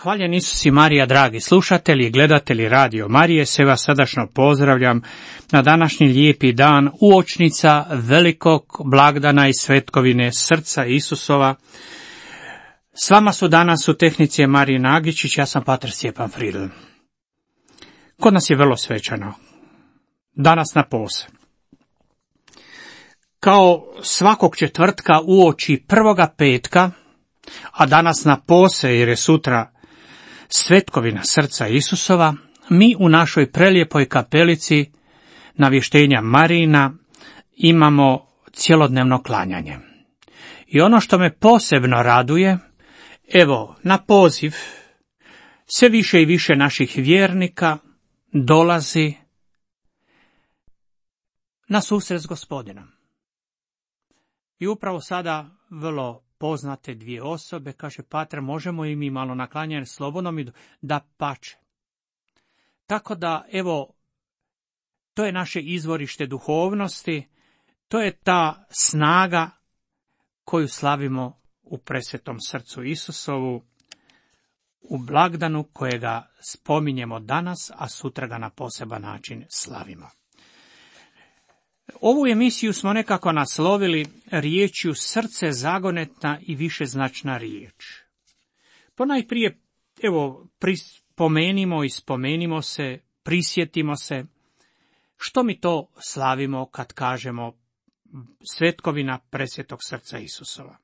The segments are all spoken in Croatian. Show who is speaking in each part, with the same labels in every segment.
Speaker 1: Hvaljen Isus i Marija, dragi slušatelji i gledatelji Radio Marije, sve vas srdačno pozdravljam na današnji lijepi dan uočnica velikog blagdana i svetkovine srca Isusova. S vama su danas u tehnici Marije Nagičić, ja sam pater Stjepan Fridl. Kod nas je vrlo svečano, danas na pose. Kao svakog četvrtka uoči prvoga petka, a danas na pose jer je sutra svetkovina srca Isusova, mi u našoj prelijepoj kapelici Navještenja Marijina imamo cjelodnevno klanjanje. I ono što me posebno raduje, evo, na poziv sve više i više naših vjernika dolazi na susret s Gospodinom. I upravo sada vrlo poznate dvije osobe, kaže pater, možemo i mi malo na klanjanje slobodno mi da pače. Tako da, evo, to je naše izvorište duhovnosti, to je ta snaga koju slavimo u presvetom srcu Isusovu, u blagdanu kojega spominjemo danas, a sutra ga na poseban način slavimo. Ovu emisiju smo nekako naslovili riječju srce zagonetna i višeznačna riječ. Ponajprije, evo, spomenimo i spomenimo se, prisjetimo se, što mi to slavimo kad kažemo svetkovina presvetog srca Isusova.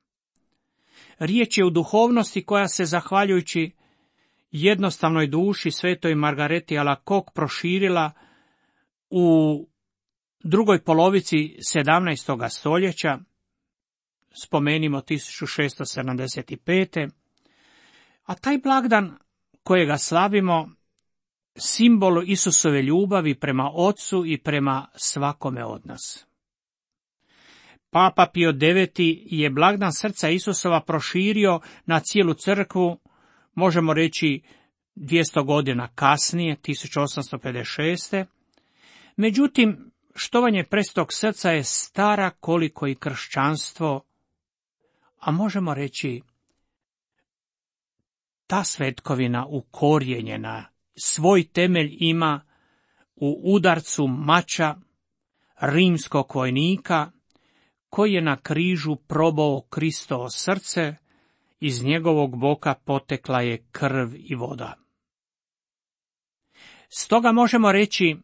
Speaker 1: Riječ je u duhovnosti koja se, zahvaljujući jednostavnoj duši svetoj Margareti Alacoque, proširila u drugoj polovici 17. stoljeća, spomenimo 1675. A taj blagdan kojega slavimo, simbol Isusove ljubavi prema Otcu i prema svakome od nas. Papa Pio IX. Je blagdan srca Isusova proširio na cijelu crkvu, možemo reći 200 godina kasnije, 1856. Međutim, štovanje presvetog srca je stara koliko i kršćanstvo, a možemo reći ta svetkovina ukorijenjena, svoj temelj ima u udarcu mača rimskog vojnika koji je na križu probao Kristovo srce, iz njegovog boka potekla je krv i voda. Stoga možemo reći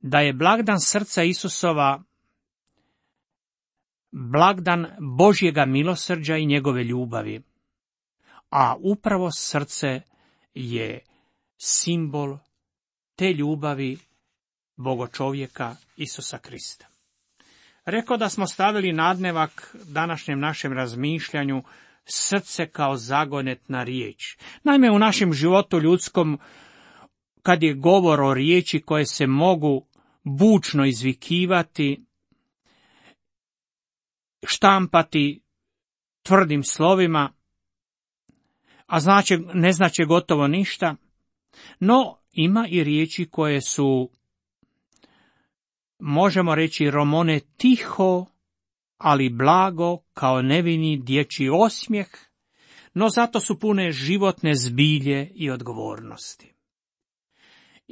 Speaker 1: da je blagdan srca Isusova blagdan Božjega milosrđa i njegove ljubavi, a upravo srce je simbol te ljubavi Bogočovjeka Isusa Krista. Rekao da smo stavili nadnevak današnjem našem razmišljanju srce kao zagonetna riječ. Naime, u našem životu ljudskom, kad je govor o riječi koje se mogu bučno izvikivati, štampati tvrdim slovima, a ne znače gotovo ništa, no ima i riječi koje su, možemo reći, romone tiho, ali blago, kao nevini dječji osmijeh, no zato su pune životne zbilje i odgovornosti.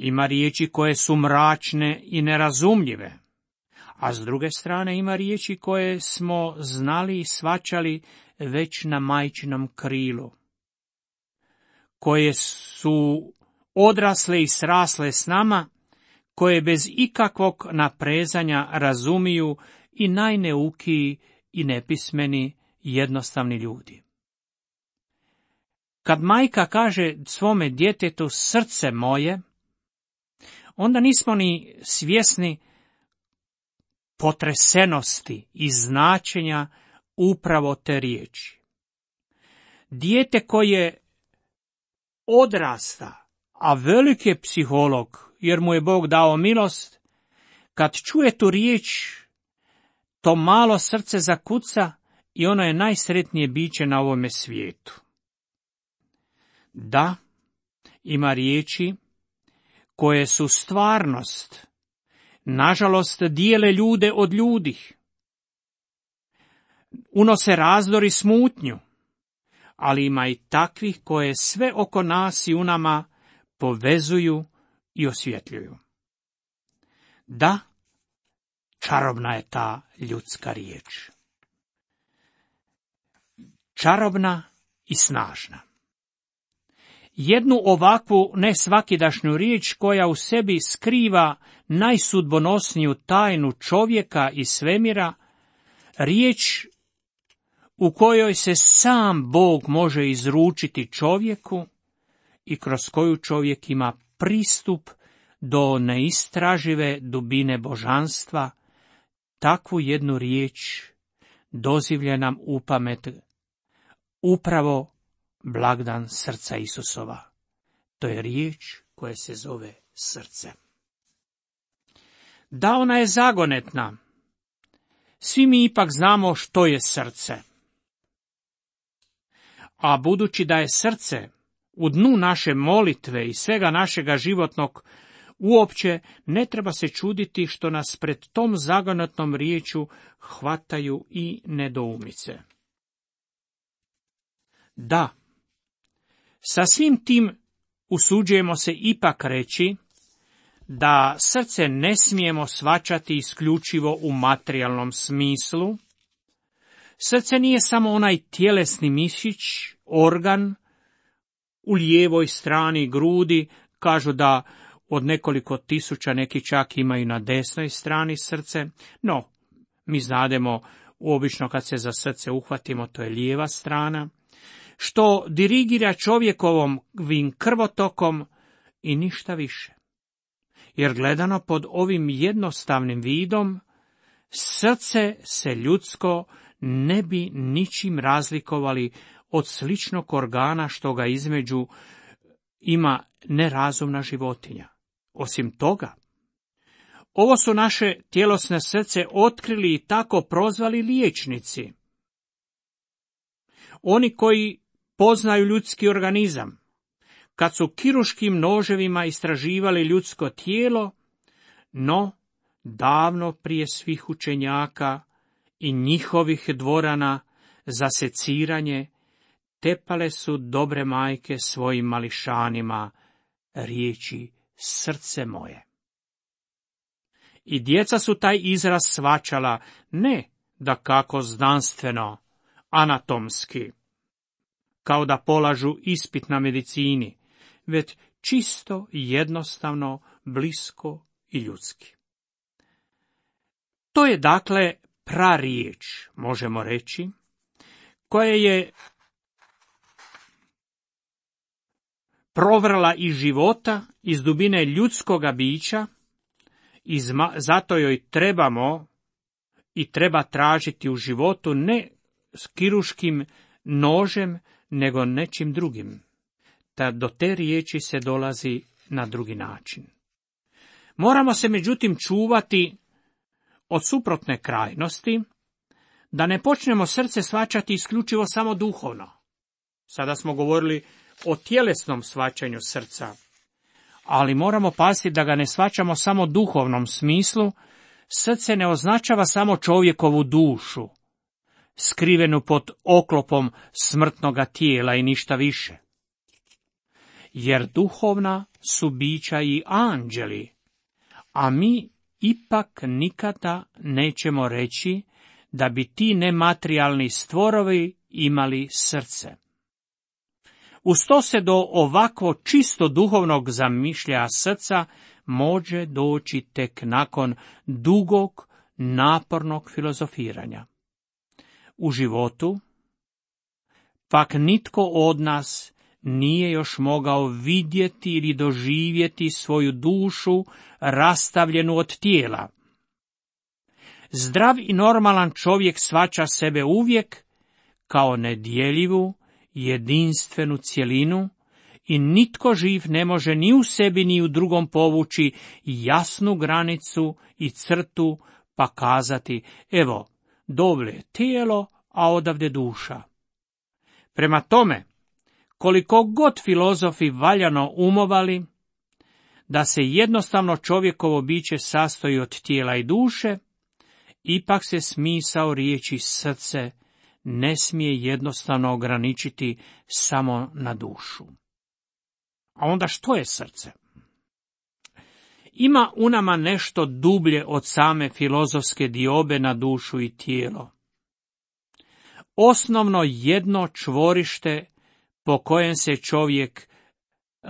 Speaker 1: Ima riječi koje su mračne i nerazumljive, a s druge strane ima riječi koje smo znali i shvaćali već na majčinom krilu, koje su odrasle i srasle s nama, koje bez ikakvog naprezanja razumiju i najneukiji i nepismeni jednostavni ljudi. Kad majka kaže svome djetetu srce moje, onda nismo ni svjesni potresenosti i značenja upravo te riječi. Dijete koje odrasta, a velik je psiholog, jer mu je Bog dao milost, kad čuje tu riječ, to malo srce zakuca i ono je najsretnije biće na ovome svijetu. Da, ima riječi koje su stvarnost, nažalost dijele ljude od ljudi, unose razdor i smutnju, ali ima i takvih koje sve oko nas i u nama povezuju i osvjetljuju. Da, čarobna je ta ljudska riječ. Čarobna i snažna. Jednu ovakvu nesvakidašnju riječ koja u sebi skriva najsudbonosniju tajnu čovjeka i svemira, riječ u kojoj se sam Bog može izručiti čovjeku i kroz koju čovjek ima pristup do neistražive dubine božanstva, takvu jednu riječ dozivlja nam u pamet upravo blagdan srca Isusova. To je riječ koja se zove srce. Da, ona je zagonetna. Svi mi ipak znamo što je srce. A budući da je srce u dnu naše molitve i svega našega životnog, uopće ne treba se čuditi što nas pred tom zagonetnom riječu hvataju i nedoumice. Da, sa svim tim usuđujemo se ipak reći da srce ne smijemo shvaćati isključivo u materijalnom smislu. Srce nije samo onaj tjelesni mišić, organ u lijevoj strani grudi, kažu da od nekoliko tisuća neki čak imaju na desnoj strani srce, no mi znademo obično kad se za srce uhvatimo to je lijeva strana, što dirigira čovjekovim krvotokom i ništa više. Jer gledano pod ovim jednostavnim vidom, srce se ljudsko ne bi ničim razlikovali od sličnog organa što ga između ima nerazumna životinja. Osim toga, ovo su naše tjelesne srce otkrili i tako prozvali liječnici. Oni koji poznaju ljudski organizam, kad su kirurškim noževima istraživali ljudsko tijelo, no davno prije svih učenjaka i njihovih dvorana za seciranje, tepale su dobre majke svojim mališanima riječi srce moje. I djeca su taj izraz shvaćala ne dakako znanstveno, anatomski, kao da polažu ispit na medicini, već čisto, jednostavno, blisko i ljudski. To je dakle prariječ, možemo reći, koja je provrala iz života, iz dubine ljudskoga bića, i zato joj trebamo i treba tražiti u životu ne s kirurškim nožem, nego nečim drugim. Do te riječi se dolazi na drugi način. Moramo se međutim čuvati od suprotne krajnosti, da ne počnemo srce shvaćati isključivo samo duhovno. Sada smo govorili o tjelesnom shvaćanju srca, ali moramo paziti da ga ne shvaćamo samo duhovnom smislu. Srce ne označava samo čovjekovu dušu, skrivenu pod oklopom smrtnoga tijela i ništa više. Jer duhovna su bića i anđeli, a mi ipak nikada nećemo reći da bi ti nematerijalni stvorovi imali srce. Uz to se do ovakvo čisto duhovnog zamišljaja srca može doći tek nakon dugog, napornog filozofiranja. U životu pak nitko od nas nije još mogao vidjeti ili doživjeti svoju dušu rastavljenu od tijela. Zdrav i normalan čovjek shvaća sebe uvijek kao nedjeljivu, jedinstvenu cjelinu i nitko živ ne može ni u sebi ni u drugom povući jasnu granicu i crtu pa kazati, evo, dovle tijelo, a odavde duša. Prema tome, koliko god filozofi valjano umovali da se jednostavno čovjekovo biće sastoji od tijela i duše, ipak se smisao riječi srce ne smije jednostavno ograničiti samo na dušu. A onda što je srce? Ima u nama nešto dublje od same filozofske diobe na dušu i tijelo. Osnovno jedno čvorište po kojem se čovjek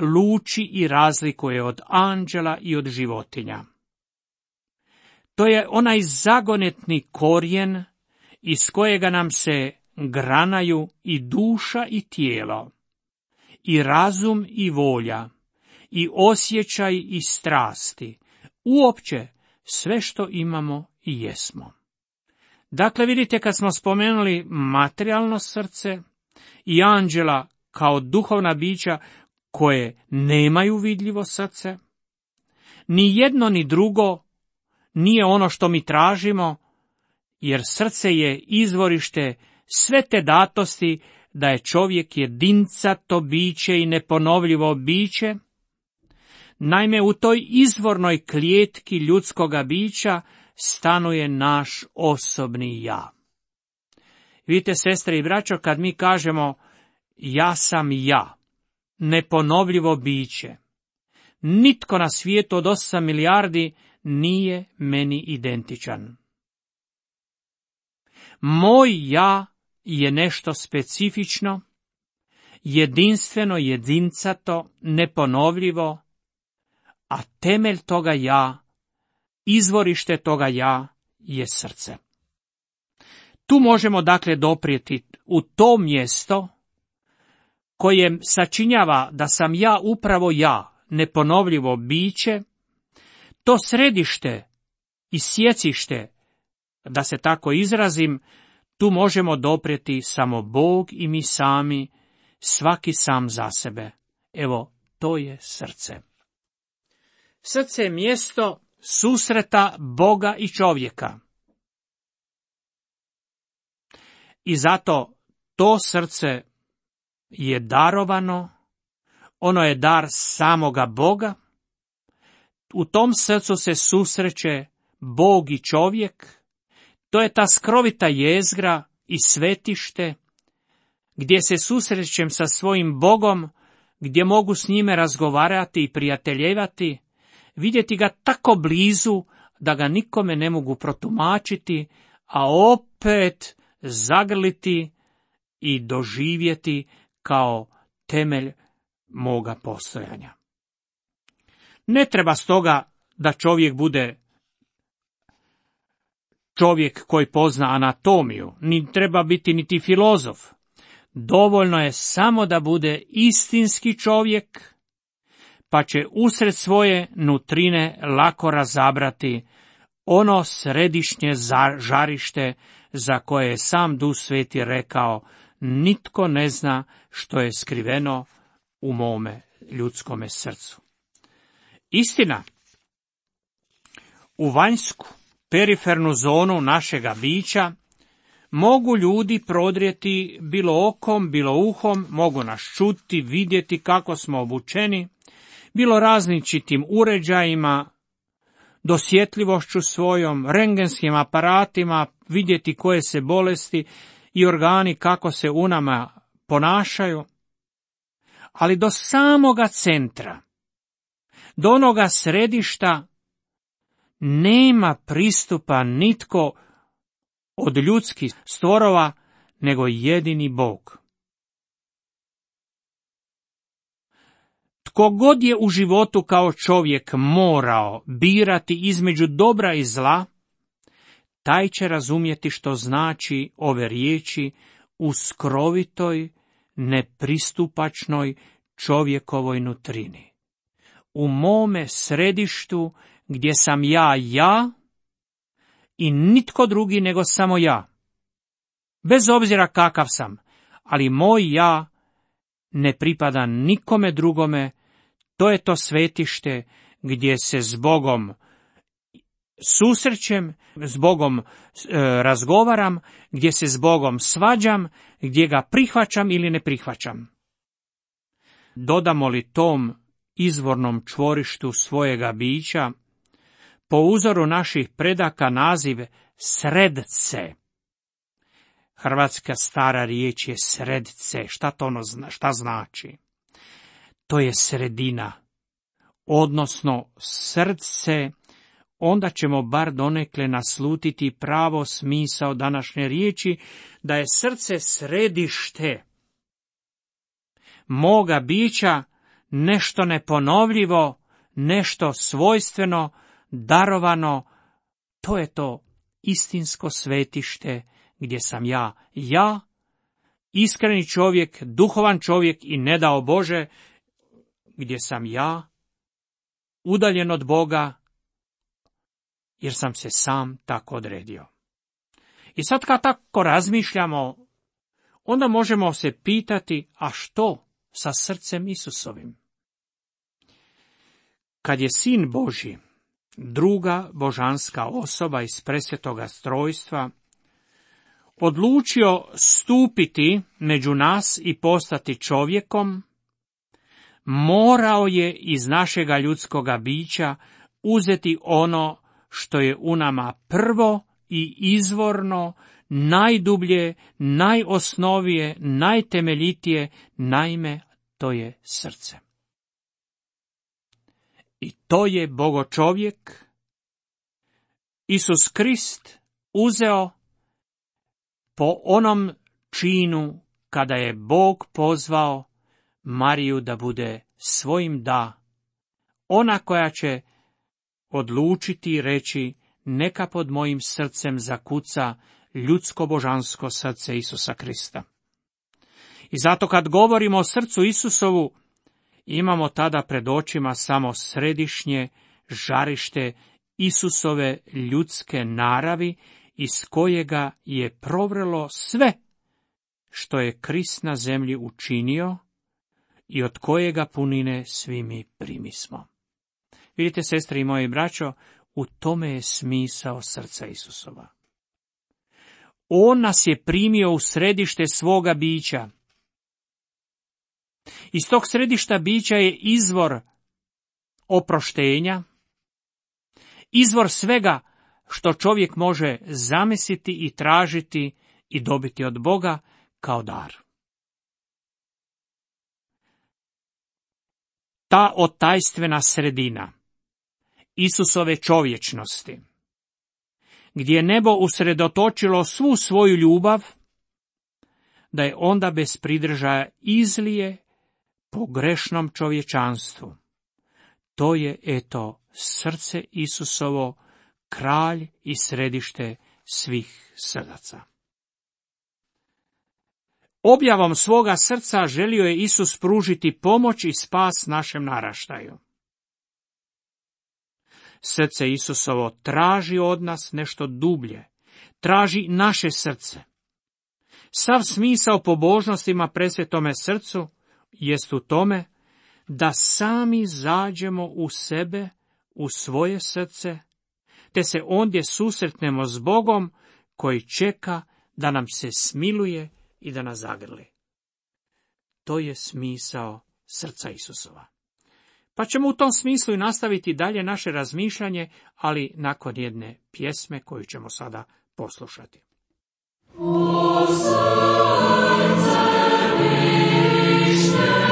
Speaker 1: luči i razlikuje od anđela i od životinja. To je onaj zagonetni korijen iz kojega nam se granaju i duša i tijelo, i razum i volja, i osjećaj i strasti, uopće sve što imamo i jesmo. Dakle, vidite, kad smo spomenuli materijalno srce i anđela kao duhovna bića koje nemaju vidljivo srce, ni jedno ni drugo nije ono što mi tražimo, jer srce je izvorište sve te datosti da je čovjek jedincato biće i neponovljivo biće. Naime, u toj izvornoj klijetki ljudskoga bića stanuje naš osobni ja. Vidite, sestre i braćo, kad mi kažemo ja sam ja, neponovljivo biće, nitko na svijetu od 8 milijardi nije meni identičan. Moj ja je nešto specifično, jedinstveno, jedincato, neponovljivo, a temelj toga ja, izvorište toga ja je srce. Tu možemo dakle doprijeti u to mjesto koje sačinjava da sam ja upravo ja, neponovljivo biće, to središte i sjecište, da se tako izrazim, tu možemo doprijeti samo Bog i mi sami, svaki sam za sebe. Evo, to je srce. Srce je mjesto susreta Boga i čovjeka. I zato to srce je darovano, ono je dar samoga Boga. U tom srcu se susreće Bog i čovjek. To je ta skrovita jezgra i svetište, gdje se susrećem sa svojim Bogom, gdje mogu s njime razgovarati i prijateljevati, vidjeti ga tako blizu da ga nikome ne mogu protumačiti, a opet zagrliti i doživjeti kao temelj moga postojanja. Ne treba stoga da čovjek bude čovjek koji pozna anatomiju, ni treba biti niti filozof. Dovoljno je samo da bude istinski čovjek, pa će usred svoje nutrine lako razabrati ono središnje žarište za koje je sam Duh Sveti rekao, nitko ne zna što je skriveno u mome ljudskome srcu. Istina, u vanjsku, perifernu zonu našega bića mogu ljudi prodrijeti bilo okom, bilo uhom, mogu nas čuti, vidjeti kako smo obučeni, bilo različitim uređajima, dosjetljivošću svojom, rengenskim aparatima, vidjeti koje se bolesti i organi kako se u nama ponašaju, ali do samoga centra, do onoga središta nema pristupa nitko od ljudskih stvorova, nego jedini Bog. Tko god je u životu kao čovjek morao birati između dobra i zla, taj će razumjeti što znači ove riječi u skrovitoj, nepristupačnoj čovjekovoj nutrini. U mome središtu gdje sam ja i nitko drugi nego samo ja. Bez obzira kakav sam, ali moj ja ne pripada nikome drugome, to je to svetište gdje se s Bogom susrećem, s Bogom razgovaram, gdje se s Bogom svađam, gdje ga prihvaćam ili ne prihvaćam. Dodamo li tom izvornom čvorištu svojega bića, po uzoru naših predaka naziv sredce, Hrvatska stara riječ je sredice. Šta znači? To je sredina, odnosno srce. Onda ćemo bar donekle naslutiti pravo smisao današnje riječi, da je srce središte moga bića, nešto neponovljivo, nešto svojstveno, darovano. To je to istinsko svetište gdje sam ja, iskreni čovjek, duhovan čovjek i ne dao Bože, gdje sam ja, udaljen od Boga, jer sam se sam tako odredio. I sad kad tako razmišljamo, onda možemo se pitati, a što sa srcem Isusovim? Kad je Sin Božji, druga božanska osoba iz presvetoga strojstva, odlučio stupiti među nas i postati čovjekom, morao je iz našega ljudskoga bića uzeti ono što je u nama prvo i izvorno, najdublje, najosnovije, najtemeljitije, naime, to je srce. I to je Bogočovjek, Isus Krist, uzeo po onom činu kada je Bog pozvao Mariju da bude svojim ona koja će odlučiti i reći, neka pod mojim srcem zakuca ljudsko-božansko srce Isusa Krista. I zato kad govorimo o srcu Isusovu, imamo tada pred očima samo središnje žarište Isusove ljudske naravi, iz kojega je provrelo sve što je Krist na zemlji učinio i od kojega punine svi mi primismo. Vidite, sestre i moji braćo, u tome je smisao srca Isusova. On nas je primio u središte svoga bića. Iz tog središta bića je izvor oproštenja, izvor svega što čovjek može zamisliti i tražiti i dobiti od Boga kao dar. Ta otajstvena sredina Isusove čovječnosti, gdje je nebo usredotočilo svu svoju ljubav, da je onda bez pridržaja izlije po grešnom čovječanstvu. To je, srce Isusovo, kralj i središte svih srdaca. Objavom svoga srca želio je Isus pružiti pomoć i spas našem naraštaju. Srce Isusovo traži od nas nešto dublje, traži naše srce. Sav smisao pobožnostima presvetome srcu jest u tome da sami zađemo u sebe, u svoje srce, te se ondje susretnemo s Bogom koji čeka da nam se smiluje i da nas zagrli. To je smisao srca Isusova. Pa ćemo u tom smislu i nastaviti dalje naše razmišljanje, ali nakon jedne pjesme koju ćemo sada poslušati. O srce višnje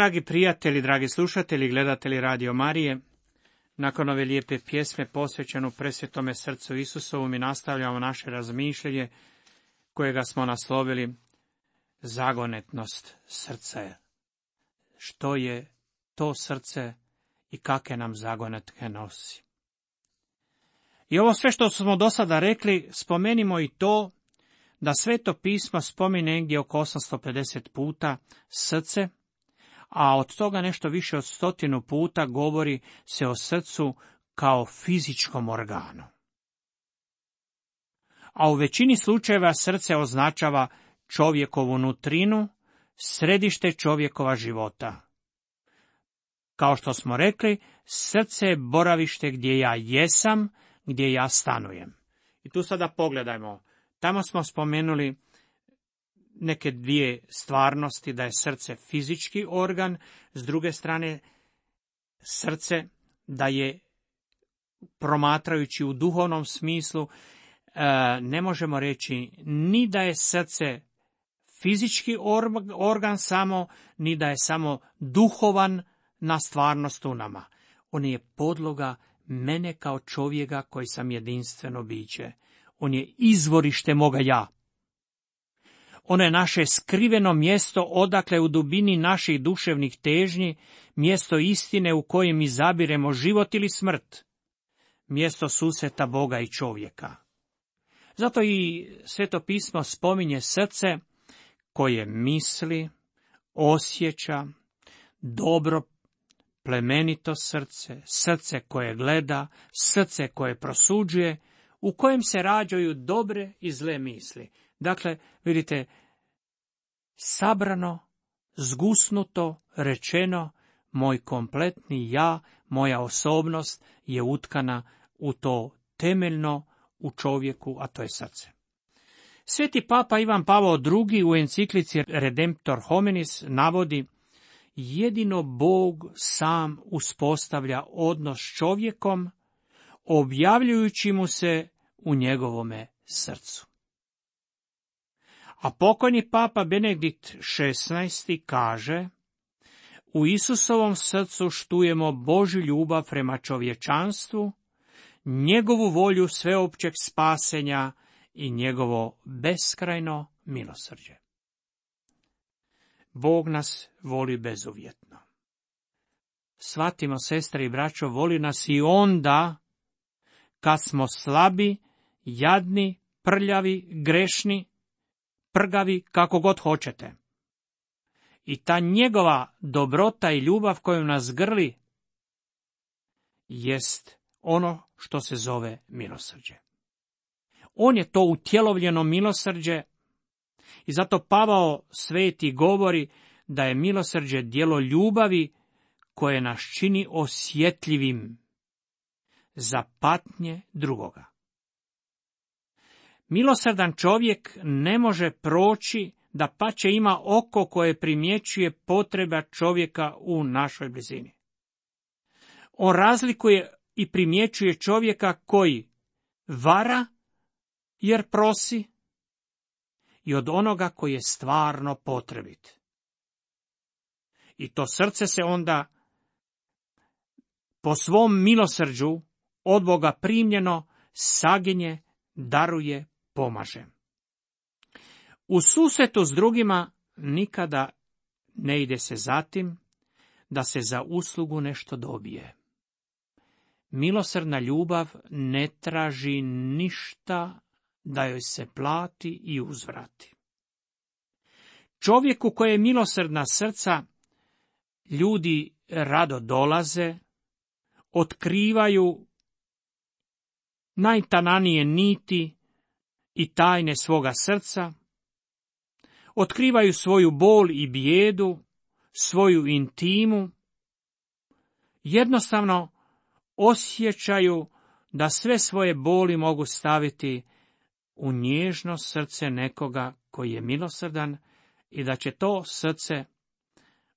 Speaker 1: dragi prijatelji, dragi slušatelji, gledatelji Radio Marije, nakon ove lijepe pjesme posvećenu presvetome srcu Isusovu, mi nastavljamo naše razmišljanje kojega smo naslovili zagonetnost srca. Što je to srce i kakve nam zagonetke nosi? I ovo sve što smo do sada rekli, spomenimo i to da Sveto pismo spominje negdje oko 850 puta srce, a od toga nešto više od 100 puta govori se o srcu kao fizičkom organu. A u većini slučajeva srce označava čovjekovu nutrinu, središte čovjekova života. Kao što smo rekli, srce je boravište gdje ja jesam, gdje ja stanujem. I tu sada pogledajmo. Tamo smo spomenuli neke dvije stvarnosti, da je srce fizički organ, s druge strane srce da je, promatrajući u duhovnom smislu, ne možemo reći ni da je srce fizički organ samo, ni da je samo duhovan na stvarnost u nama. On je podloga mene kao čovjeka koji sam jedinstveno biće. On je izvorište moga ja. Ono je naše skriveno mjesto odakle u dubini naših duševnih težnji, mjesto istine u kojem izabiremo život ili smrt, mjesto susreta Boga i čovjeka. Zato i Sveto pismo spominje srce koje misli, osjeća, dobro, plemenito srce, srce koje gleda, srce koje prosuđuje, u kojem se rađaju dobre i zle misli. Dakle, vidite, sabrano, zgusnuto, rečeno, moj kompletni ja, moja osobnost je utkana u to temeljno u čovjeku, a to je srce. Sveti papa Ivan Pavao II u enciklici Redemptor Hominis navodi: jedino Bog sam uspostavlja odnos s čovjekom, objavljujući mu se u njegovome srcu. A pokojni papa Benedikt XVI kaže: u Isusovom srcu štujemo Božju ljubav prema čovječanstvu, njegovu volju sveopćeg spasenja i njegovo beskrajno milosrđe. Bog nas voli bezuvjetno. Shvatimo, sestre i braćo, voli nas i onda kad smo slabi, jadni, prljavi, grešni, prgavi, kako god hoćete. I ta njegova dobrota i ljubav kojom nas grli jest ono što se zove milosrđe. On je to utjelovljeno milosrđe i zato Pavao Sveti govori da je milosrđe djelo ljubavi koje nas čini osjetljivim za patnje drugoga. Milosrdan čovjek ne može proći da pače ima oko koje primjećuje potreba čovjeka u našoj blizini. On razlikuje i primjećuje čovjeka koji vara jer prosi i od onoga koji je stvarno potrebit. I to srce se onda po svom milosrđu od Boga primljeno saginje, daruje, pomaže. U susretu s drugima nikada ne ide se za tim da se za uslugu nešto dobije. Milosrdna ljubav ne traži ništa da joj se plati i uzvrati. Čovjeku koje je milosrdna srca, ljudi rado dolaze, otkrivaju najtananije niti i tajne svoga srca, otkrivaju svoju bol i bijedu, svoju intimu, jednostavno osjećaju da sve svoje boli mogu staviti u nježno srce nekoga koji je milosrdan i da će to srce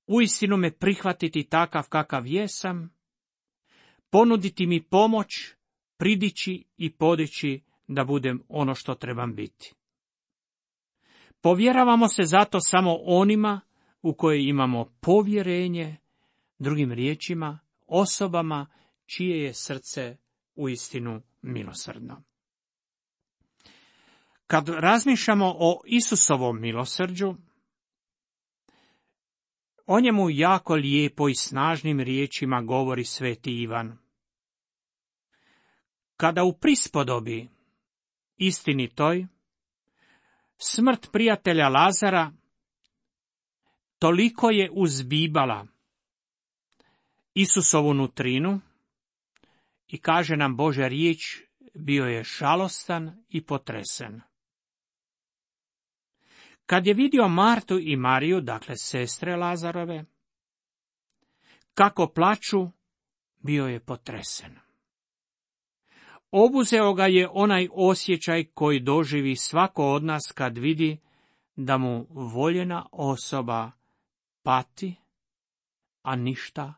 Speaker 1: uistinu me prihvatiti takav kakav jesam, ponuditi mi pomoć, pridići i podići da budem ono što trebam biti. Povjeravamo se zato samo onima u kojoj imamo povjerenje, drugim riječima, osobama čije je srce uistinu milosrdno. Kad razmišljamo o Isusovom milosrđu, o njemu jako lijepo i snažnim riječima govori sveti Ivan. Kada u prispodobi istinitoj smrt prijatelja Lazara toliko je uzbibala Isusovu nutrinu i kaže nam Božja riječ, bio je žalostan i potresen. Kad je vidio Martu i Mariju, dakle sestre Lazarove, kako plaču, bio je potresen. Obuzeo ga je onaj osjećaj koji doživi svako od nas kad vidi da mu voljena osoba pati, a ništa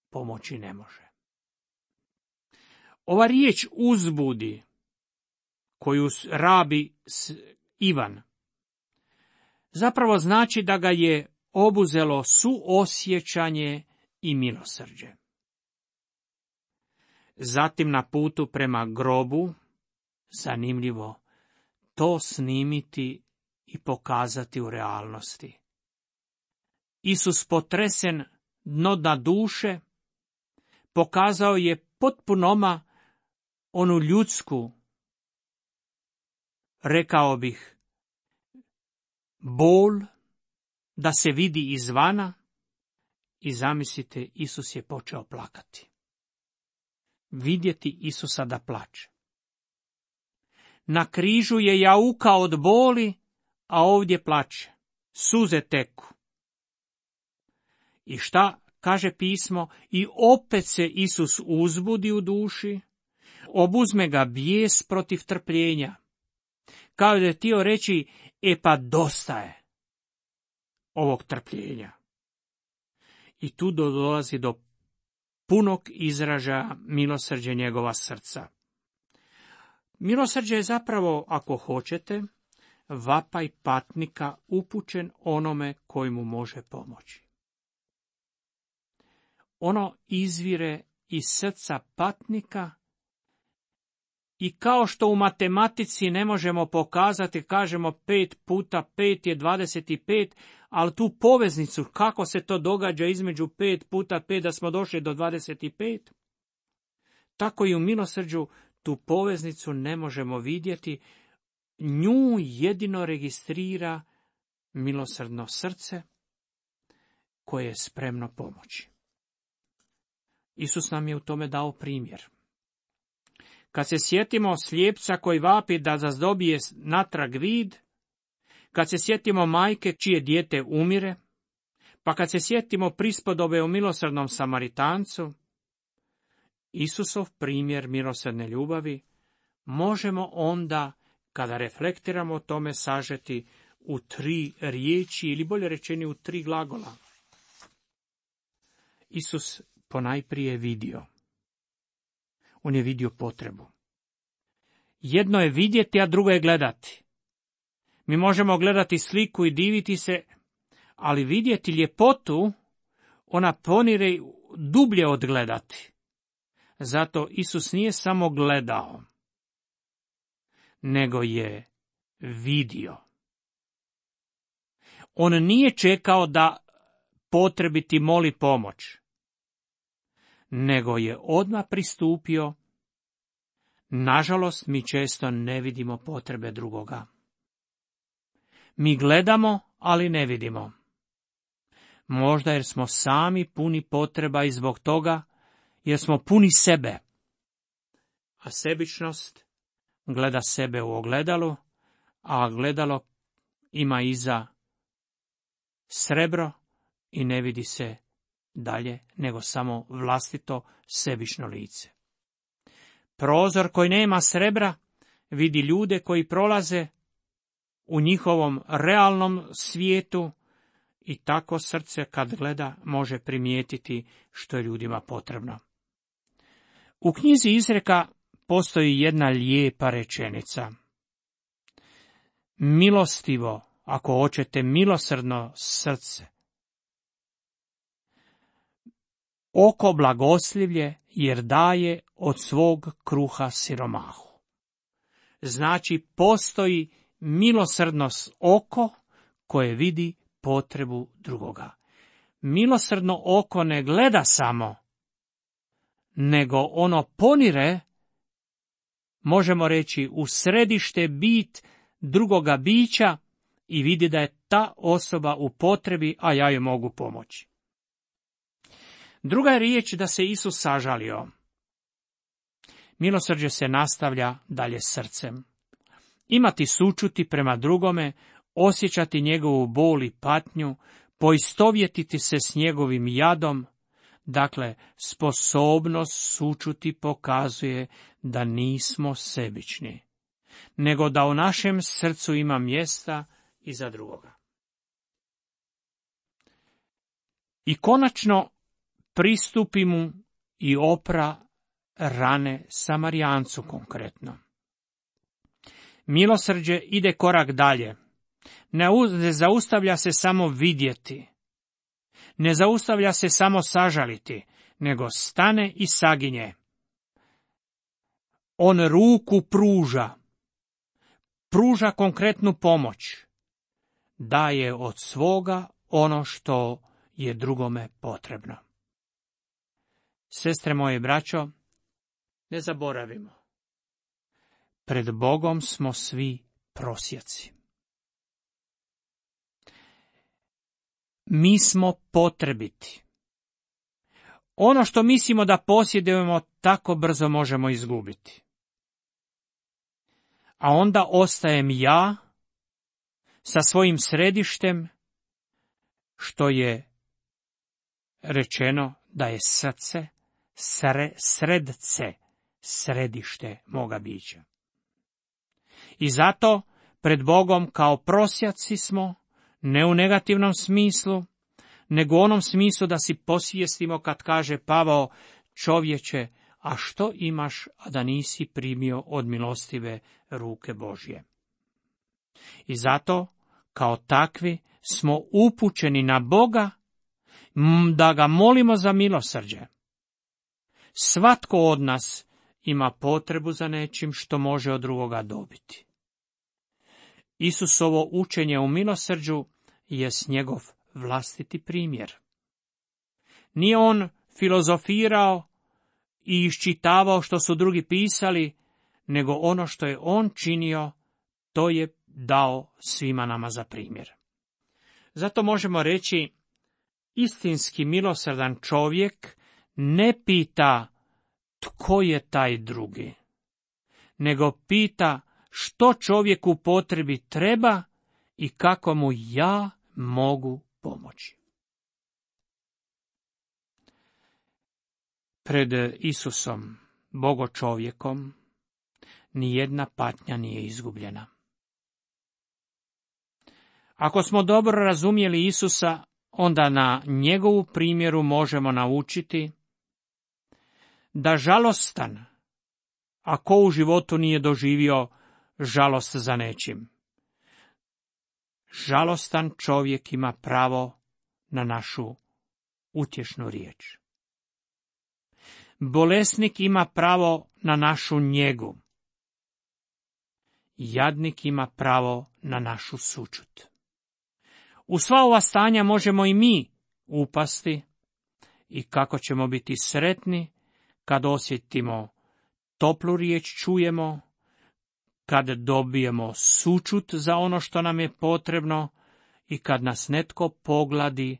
Speaker 1: pomoći ne može. Ova riječ uzbudi, koju rabi Ivan, zapravo znači da ga je obuzelo suosjećanje i milosrđe. Zatim na putu prema grobu, zanimljivo, to snimiti i pokazati u realnosti. Isus potresen dno dna duše, pokazao je potpunoma onu ljudsku, rekao bih, bol da se vidi izvana i zamislite, Isus je počeo plakati. Vidjeti Isusa da plače. Na križu je jaukao od boli, a ovdje plače. Suze teku. I šta kaže pismo? I opet se Isus uzbudi u duši, obuzme ga bijes protiv trpljenja. Kao da je htio reći, pa dosta je ovog trpljenja. I tu dolazi do punog izražaja milosrđe njegova srca. Milosrđe je zapravo, ako hoćete, vapaj patnika upućen onome koji mu može pomoći. Ono izvire iz srca patnika i kao što u matematici ne možemo pokazati, kažemo 5 puta 5 je 25, ali tu poveznicu, kako se to događa između 5 puta 5 da smo došli do 25, tako i u milosrđu tu poveznicu ne možemo vidjeti, nju jedino registrira milosrdno srce koje je spremno pomoći. Isus nam je u tome dao primjer. Kad se sjetimo slijepca koji vapi da dobije natrag vid, kad se sjetimo majke čije dijete umire, pa kad se sjetimo prispodobe o milosrdnom Samaritancu, Isusov primjer milosrdne ljubavi možemo onda, kada reflektiramo o tome, sažeti u 3 riječi, ili bolje rečeni u 3 glagola. Isus ponajprije vidio. On je vidio potrebu. Jedno je vidjeti, a drugo je gledati. Mi možemo gledati sliku i diviti se, ali vidjeti ljepotu, ona ponire dublje od gledati. Zato Isus nije samo gledao, nego je vidio. On nije čekao da potrebiti moli pomoć, nego je odmah pristupio. Nažalost, mi često ne vidimo potrebe drugoga. Mi gledamo, ali ne vidimo. Možda jer smo sami puni potreba i zbog toga jer smo puni sebe. A sebičnost gleda sebe u ogledalu, a ogledalo ima iza srebro i ne vidi se dalje nego samo vlastito sebično lice. Prozor koji nema srebra vidi ljude koji prolaze u njihovom realnom svijetu i tako srce kad gleda može primijetiti što je ljudima potrebno. U knjizi Izreka postoji jedna lijepa rečenica. Milostivo, ako hoćete milosrdno srce, oko blagoslivlje, jer daje od svog kruha siromahu. Znači, postoji milosrdnost oko koje vidi potrebu drugoga. Milosrdno oko ne gleda samo, nego ono ponire, možemo reći, u središte bit drugoga bića i vidi da je ta osoba u potrebi, a ja joj mogu pomoći. Druga je riječ da se Isus sažalio. Milosrđe se nastavlja dalje srcem. Imati sućuti prema drugome, osjećati njegovu bol i patnju, poistovjetiti se s njegovim jadom, dakle, sposobnost sućuti pokazuje da nismo sebični, nego da u našem srcu ima mjesta i za drugoga. I konačno pristupi mu i opra rane Samarijancu konkretno. Milosrđe ide korak dalje. Ne zaustavlja se samo vidjeti. Ne zaustavlja se samo sažaliti, nego stane i saginje. On ruku pruža. Pruža konkretnu pomoć. Daje od svoga ono što je drugome potrebno. Sestre moje, braćo, ne zaboravimo. Pred Bogom smo svi prosjaci. Mi smo potrebiti. Ono što mislimo da posjedujemo, tako brzo možemo izgubiti. A onda ostajem ja sa svojim središtem, što je rečeno da je srce, sredce, središte moga bića. I zato pred Bogom kao prosjaci smo, ne u negativnom smislu, nego u onom smislu da si posvijestimo kad kaže Pavao: čovječe, a što imaš, a da nisi primio od milostive ruke Božje? I zato, kao takvi, smo upućeni na Boga, da ga molimo za milosrđe. Svatko od nas ima potrebu za nečim što može od drugoga dobiti. Isusovo učenje u milosrđu jest njegov vlastiti primjer. Nije on filozofirao i iščitavao što su drugi pisali, nego ono što je on činio, to je dao svima nama za primjer. Zato možemo reći, istinski milosrdan čovjek ne pita tko je taj drugi, nego pita što čovjeku u potrebi treba i kako mu ja mogu pomoći. Pred Isusom, Bogo čovjekom, nijedna patnja nije izgubljena. Ako smo dobro razumjeli Isusa, onda na njegovu primjeru možemo naučiti da žalostan, a ko u životu nije doživio žalost za nečim, žalostan čovjek ima pravo na našu utješnu riječ. Bolesnik ima pravo na našu njegu. Jadnik ima pravo na našu sućut. U sva ova stanja možemo i mi upasti i kako ćemo biti sretni kad osjetimo toplu riječ, čujemo, kad dobijemo sućut za ono što nam je potrebno i kad nas netko pogladi,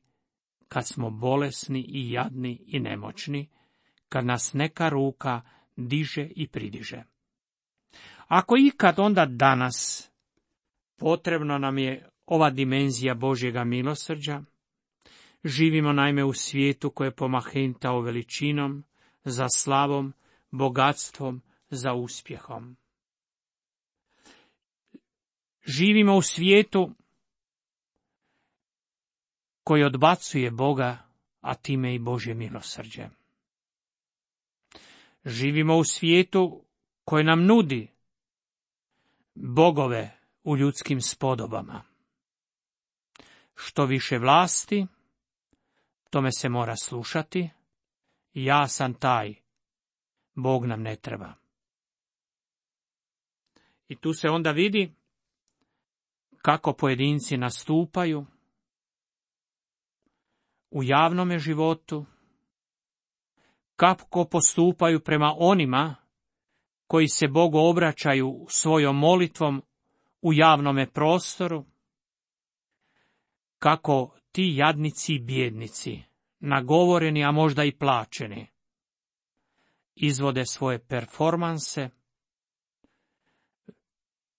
Speaker 1: kad smo bolesni i jadni i nemoćni, kad nas neka ruka diže i pridiže. Ako ikad, onda danas potrebno nam je ova dimenzija Božjega milosrđa. Živimo naime u svijetu koje je pomahentao veličinom, za slavom, bogatstvom, za uspjehom. Živimo u svijetu koji odbacuje Boga, a time i Božje milosrđe. Živimo u svijetu koji nam nudi bogove u ljudskim spodobama. Što više vlasti, tome se mora slušati, ja sam taj, Bog nam ne treba. I tu se onda vidi kako pojedinci nastupaju u javnome životu, kako postupaju prema onima koji se Bogu obraćaju svojom molitvom u javnome prostoru, kako ti jadnici i bijednici, nagovoreni, a možda i plaćeni, izvode svoje performanse,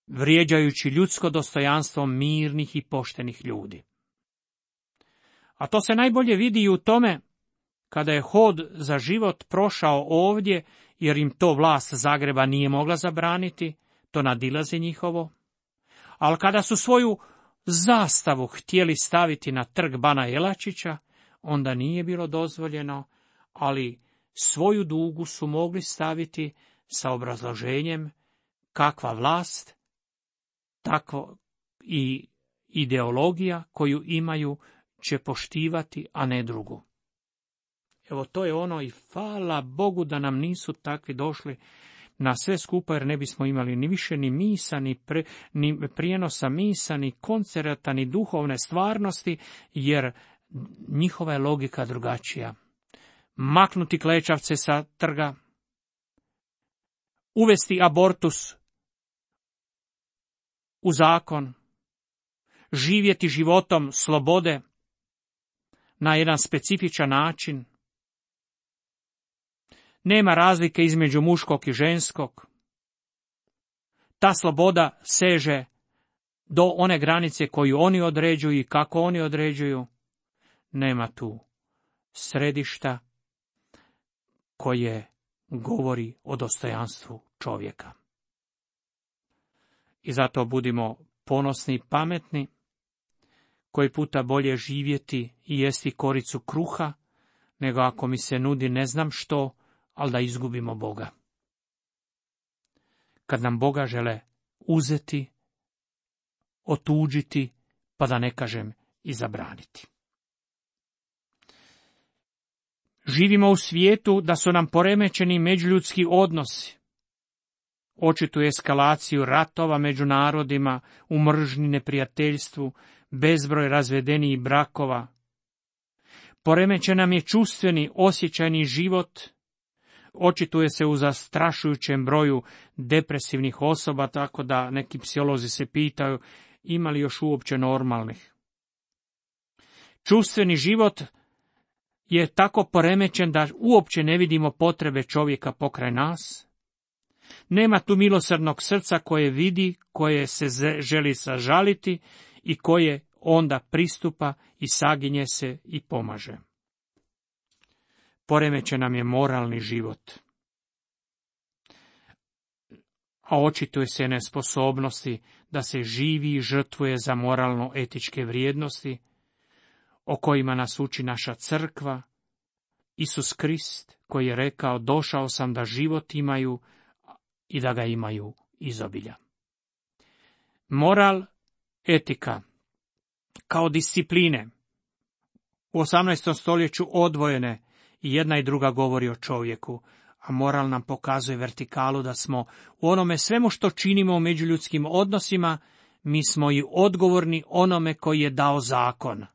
Speaker 1: vrijeđajući ljudsko dostojanstvo mirnih i poštenih ljudi. A to se najbolje vidi i u tome kada je hod za život prošao ovdje, jer im to vlast Zagreba nije mogla zabraniti, to nadilazi njihovo. Ali kada su svoju zastavu htjeli staviti na trg Bana Jelačića, onda nije bilo dozvoljeno, ali svoju dugu su mogli staviti sa obrazloženjem kakva vlast, takva i ideologija koju imaju će poštivati, a ne drugu. Evo to je ono i hvala Bogu da nam nisu takvi došli na sve skupa, jer ne bismo imali ni više ni misa, ni prijenosa misa, ni koncerata, ni duhovne stvarnosti, jer njihova je logika drugačija. Maknuti klečavce sa trga, uvesti abortus u zakon, živjeti životom slobode na jedan specifičan način. Nema razlike između muškog i ženskog. Ta sloboda seže do one granice koju oni određuju i kako oni određuju. Nema tu središta koje govori o dostojanstvu čovjeka. I zato budimo ponosni i pametni, koji puta bolje živjeti i jesti koricu kruha, nego ako mi se nudi ne znam što, ali da izgubimo Boga. Kad nam Boga žele uzeti, otuđiti, pa da ne kažem i zabraniti. Živimo u svijetu da su nam poremećeni međuljudski odnosi. Očitu eskalaciju ratova među narodima, u mržnji, neprijateljstvu, bezbroj razvedenijih brakova. Poremećen nam je čustveni, osjećajni život. Očituje se u zastrašujućem broju depresivnih osoba, tako da neki psiholozi se pitaju ima li još uopće normalnih. Čustveni život je tako poremećen da uopće ne vidimo potrebe čovjeka pokraj nas. Nema tu milosrdnog srca koje vidi, koje se želi sažaliti i koje onda pristupa i saginje se i pomaže. Poremećen nam je moralni život, a očituje se nesposobnosti da se živi i žrtvuje za moralno-etičke vrijednosti, o kojima nas uči naša crkva, Isus Krist, koji je rekao, došao sam da život imaju i da ga imaju izobilja. Moral, etika, kao discipline, u 18. stoljeću odvojene, i jedna i druga govori o čovjeku, a moral nam pokazuje vertikalu da smo u onome svemu što činimo u međuljudskim odnosima, mi smo i odgovorni onome koji je dao zakon.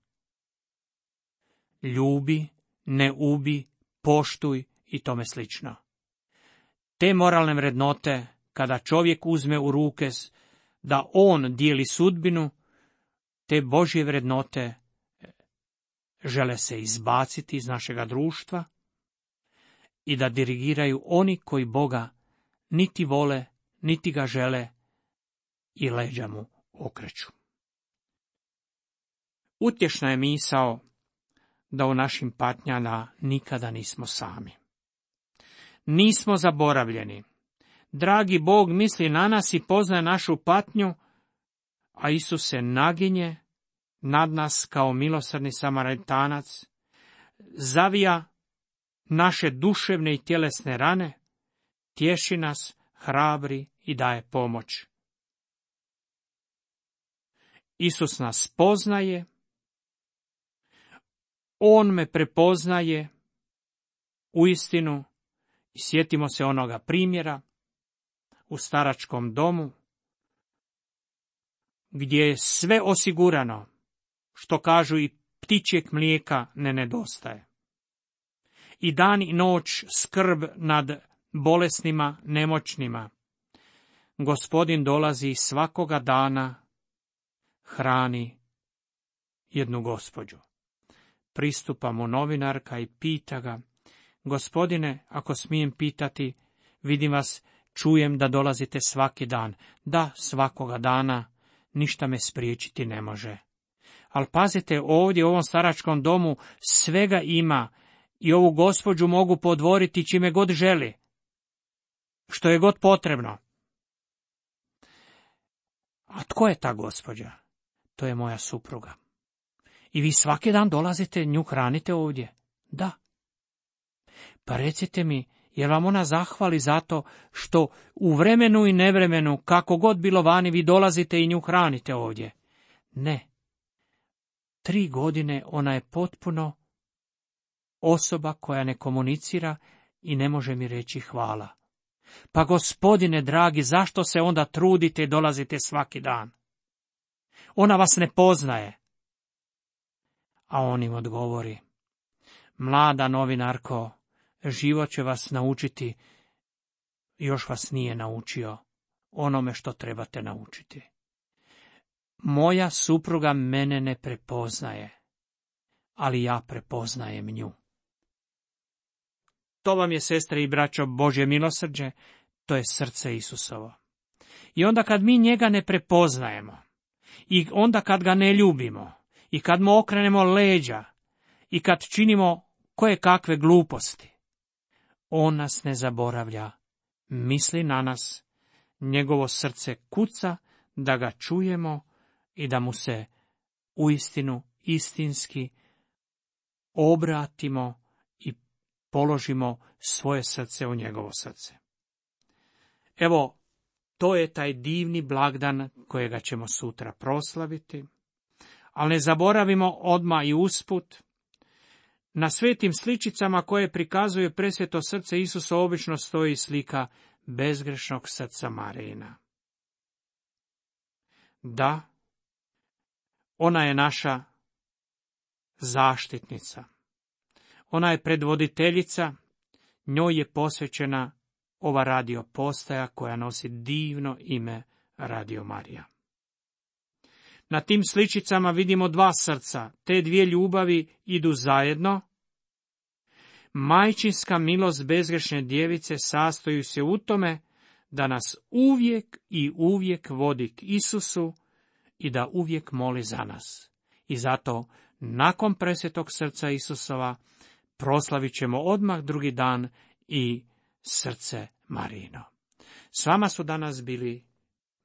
Speaker 1: Ljubi, ne ubi, poštuj i tome slično. Te moralne vrednote, kada čovjek uzme u ruke da on dijeli sudbinu, te Božje vrednote žele se izbaciti iz našega društva i da dirigiraju oni koji Boga niti vole, niti ga žele i leđa mu okreću. Utješna je misao da u našim patnjama nikada nismo sami. Nismo zaboravljeni. Dragi Bog misli na nas i poznaje našu patnju, a Isus se naginje nad nas kao milosrdni Samaritanac, zavija naše duševne i tjelesne rane, tješi nas, hrabri i daje pomoć. Isus nas poznaje, on me prepoznaje uistinu, sjetimo se onoga primjera u staračkom domu, gdje je sve osigurano, što kažu i ptičjeg mlijeka ne nedostaje. I dan i noć skrb nad bolesnima, nemoćnima. Gospodin dolazi svakoga dana, hrani jednu gospođu. Pristupa mu novinarka i pita ga: Gospodine, ako smijem pitati, vidim vas, čujem da dolazite svaki dan. Da, svakoga dana, ništa me spriječiti ne može. Ali pazite, ovdje u ovom staračkom domu svega ima i ovu gospođu mogu podvoriti čime god želi, što je god potrebno. A tko je ta gospođa? To je moja supruga. I vi svaki dan dolazite, nju hranite ovdje? Da. Pa recite mi, je vam ona zahvali zato što u vremenu i nevremenu, kako god bilo vani, vi dolazite i nju hranite ovdje? Ne. 3 godine ona je potpuno osoba koja ne komunicira i ne može mi reći hvala. Pa Gospodine dragi, zašto se onda trudite i dolazite svaki dan? Ona vas ne poznaje. A on im odgovori: Mlada novinarko, život će vas naučiti, još vas nije naučio onome što trebate naučiti. Moja supruga mene ne prepoznaje, ali ja prepoznajem nju. To vam je, sestre i braćo, Božje milosrđe, to je srce Isusovo. I onda kad mi njega ne prepoznajemo, i onda kad ga ne ljubimo, i kad mu okrenemo leđa, i kad činimo koje kakve gluposti, on nas ne zaboravlja, misli na nas, njegovo srce kuca da ga čujemo i da mu se uistinu istinski obratimo i položimo svoje srce u njegovo srce. Evo, to je taj divni blagdan kojega ćemo sutra proslaviti, ali ne zaboravimo odmah i usput, na svetim sličicama koje prikazuje presveto srce Isusa obično stoji slika bezgrešnog srca Marijina. Da, ona je naša zaštitnica. Ona je predvoditeljica, njoj je posvećena ova radio postaja koja nosi divno ime Radio Marija. Na tim sličicama vidimo 2 srca, te 2 ljubavi idu zajedno. Majčinska milost bezgrešne djevice sastoji se u tome da nas uvijek i uvijek vodi k Isusu i da uvijek moli za nas. I zato, nakon presvetog srca Isusova, proslavit ćemo odmah drugi dan i srce Marijino. S vama su danas bili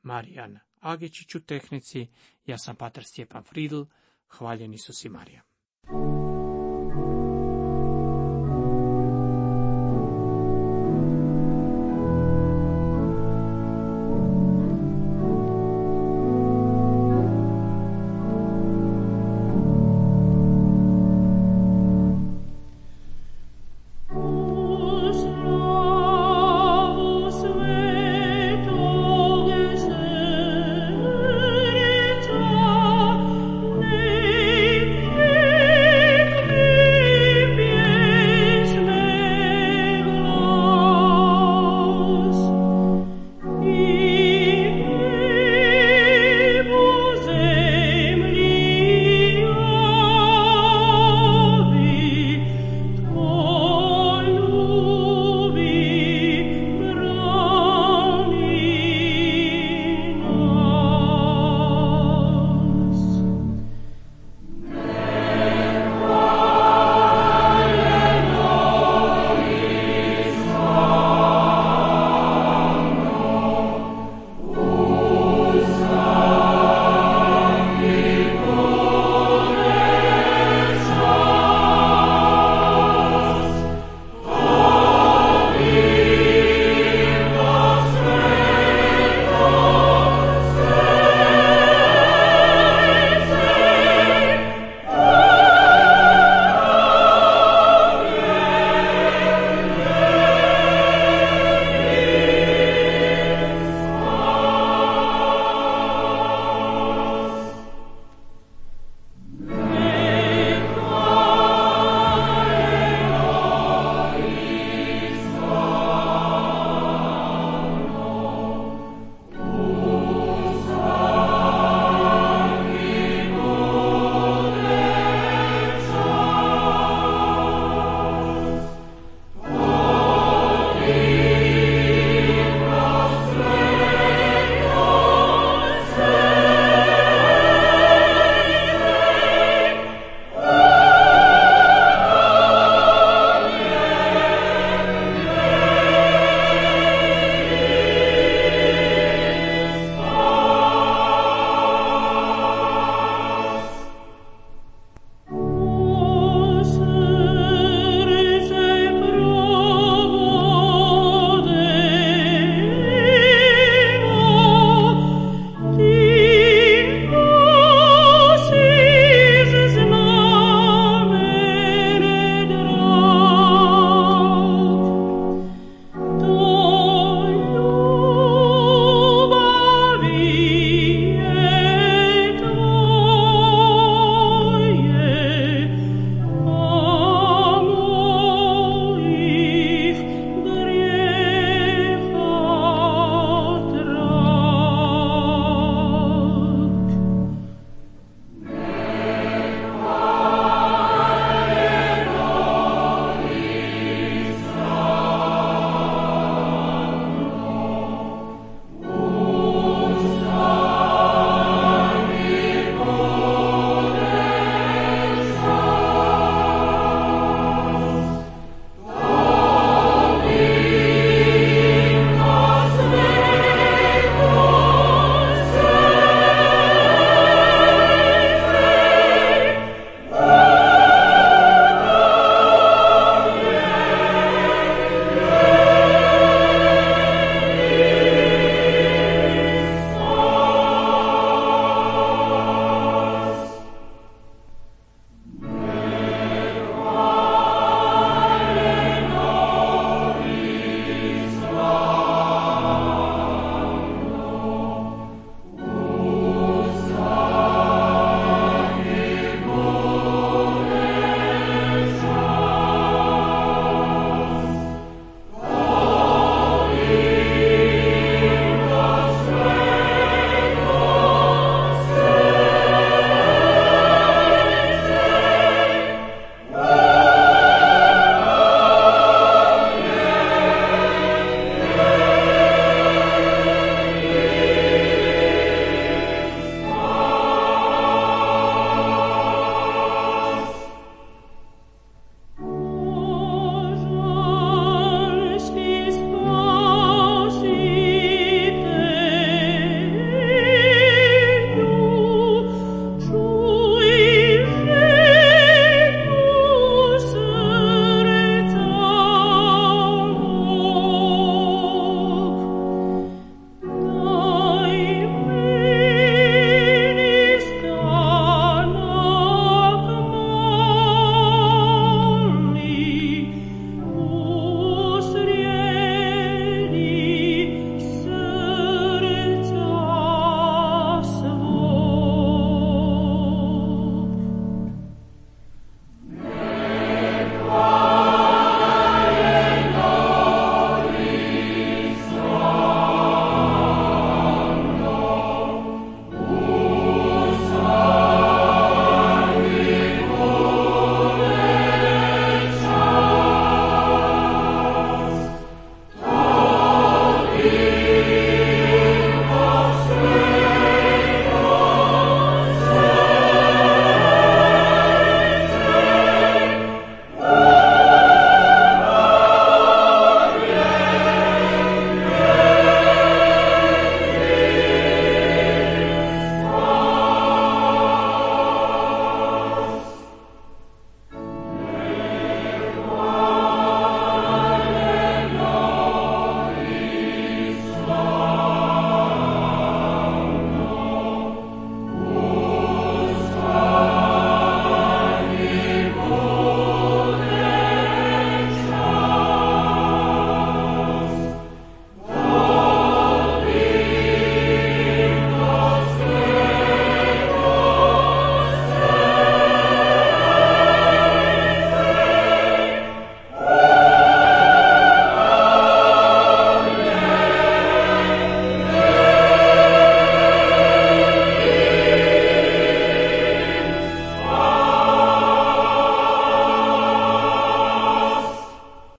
Speaker 1: Marijan Agičić u tehnici, ja sam pater Stjepan Fridl, hvaljen Isus i Marija.